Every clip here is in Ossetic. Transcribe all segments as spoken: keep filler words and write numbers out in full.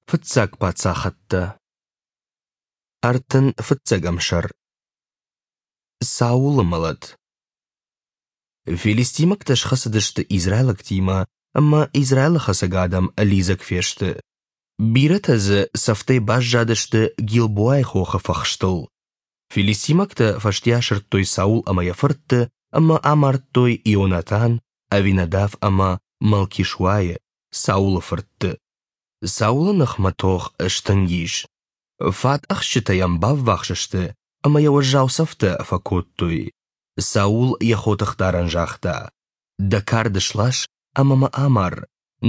Фыццаг паддзӕхтӕ. Ӕртын фыццӕгӕм сӕр. Саулы мӕлӕт. Филистимӕгтӕ схӕцыдысты израилӕгтимӕ, ӕмӕ Израилы хӕцӕг адӕм лидзӕг фесты. Бирӕтӕ дзы цӕфтӕй баззадысты Гилбоайы хохы фӕхстыл. Филистимӕгтӕ фӕсте асырдтой Саул ӕмӕ йӕ фыртты ӕмӕ амардтой Ионатан, Авинадав ӕмӕ Малкишуайы, Саулы фыртты. Саулы ныхмӕ тох стынг ис. Фат ӕхсджытӕ йӕм баввахс сты ӕмӕ йӕ уӕззау цӕфтӕ фӕкодтой. Саул йӕ хотыхдарӕн загъта: «Дӕ кард слас ӕмӕ мӕ амар,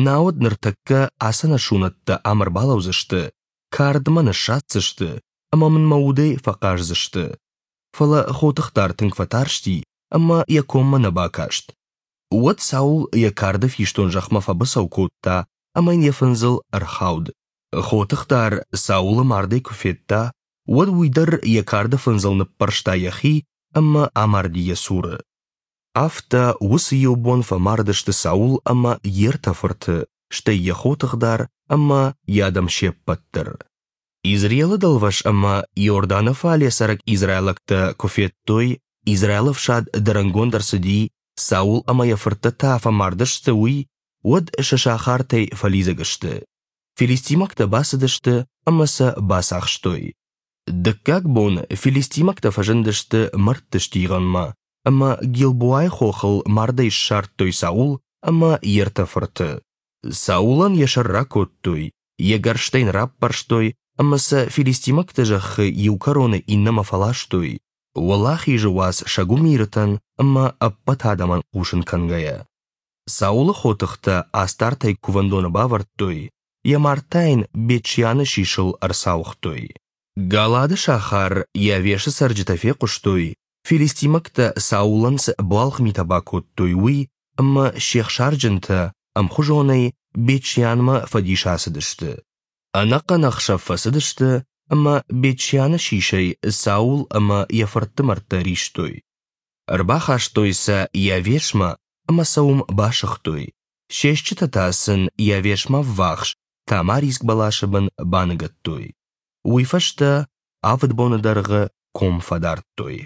науӕд ныртӕккӕ ацы ӕнӕсунӕттӕ ам ӕрбалӕудзысты, кард мӕ ныссадздзысты ӕмӕ мын мӕ удӕй фӕхъаздзысты». Фӕлӕ хотыхдар тынг фӕтарсти ӕмӕ йӕ коммӕ нӕ бакаст. Уӕд Саул йӕ карды фистон зӕхмӕ фӕбыцӕу кодта ӕмӕ йын йӕ фындзыл ӕрхауд. Хотыхдар Саулы мардӕй куы федта, уӕд уый дӕр йӕ карды фындзыл ныппӕрста йӕхи ӕмӕ амарди йӕ цуры. Афтӕ уыцы иу бон фӕмард сты Саул ӕмӕ йе ртӕ фырты, стӕй йӕ хотыхдар ӕмӕ йӕ адӕм се ппӕт дӕр. Израилы дӕлвӕз ӕмӕ Иорданы фале цӕрӕг израилӕгтӕ куы федтой, Израилы ӕфсад дӕрӕнгонд ӕрцыди, Саул ӕмӕ йӕ фырттӕ та фӕмард сты, уый, уӕд сӕ сахартӕй фӕлидзӕг сты. Филистимӕгтӕ бацыдысты ӕмӕ сӕ бацахстой. Дыккаг бон филистимӕгтӕ фӕзындысты мӕрдты стигъынмӕ ӕмӕ Гилбоайы хохыл мардӕй ссардтой Саул ӕмӕ йе ртӕ фырты. Саулӕн йӕ сӕр ракодтой, йӕ гӕрзтӕ йын раппӕрстой ӕмӕ сӕ филистимӕгты зӕххы иу кӕронӕй иннӕмӕ фӕластой, уӕлахизы уац сӕ гуымиртӕн ӕмӕ ӕппӕт адӕмӕн хъусын кӕнгӕйӕ. Саулы хотыхтӕ Астартӕй кувӕндоны бавӕрдтой, йӕ мард та йын Бет-Шианы сисыл ӕрцауыгътой. Галаады сахар Иавешы цӕрджытӕ фехъуыстой, филистимӕгтӕ Саулӕн цы ӕбуалгъ митӕ бакодтой, уый, ӕмӕ се хсарджынтӕ ӕмхуызонӕй Бет-Шианмӕ фӕдис ацыдысты. Ӕнӕхъӕн ӕхсӕв фӕцыдысты ӕмӕ Бет-Шианы сисӕй Саул ӕмӕ йӕ фыртты мӕрдтӕ ӕристой. Ӕрбахастой сӕ Иавешмӕ ӕмӕ сӕ уым басыгътой, се стджытӕ та сын Иавешмӕ ӕввахс тамариск бӕласы бын баныгӕдтой. Уый фӕстӕ авд боны дӕргъы ком фӕдардтой.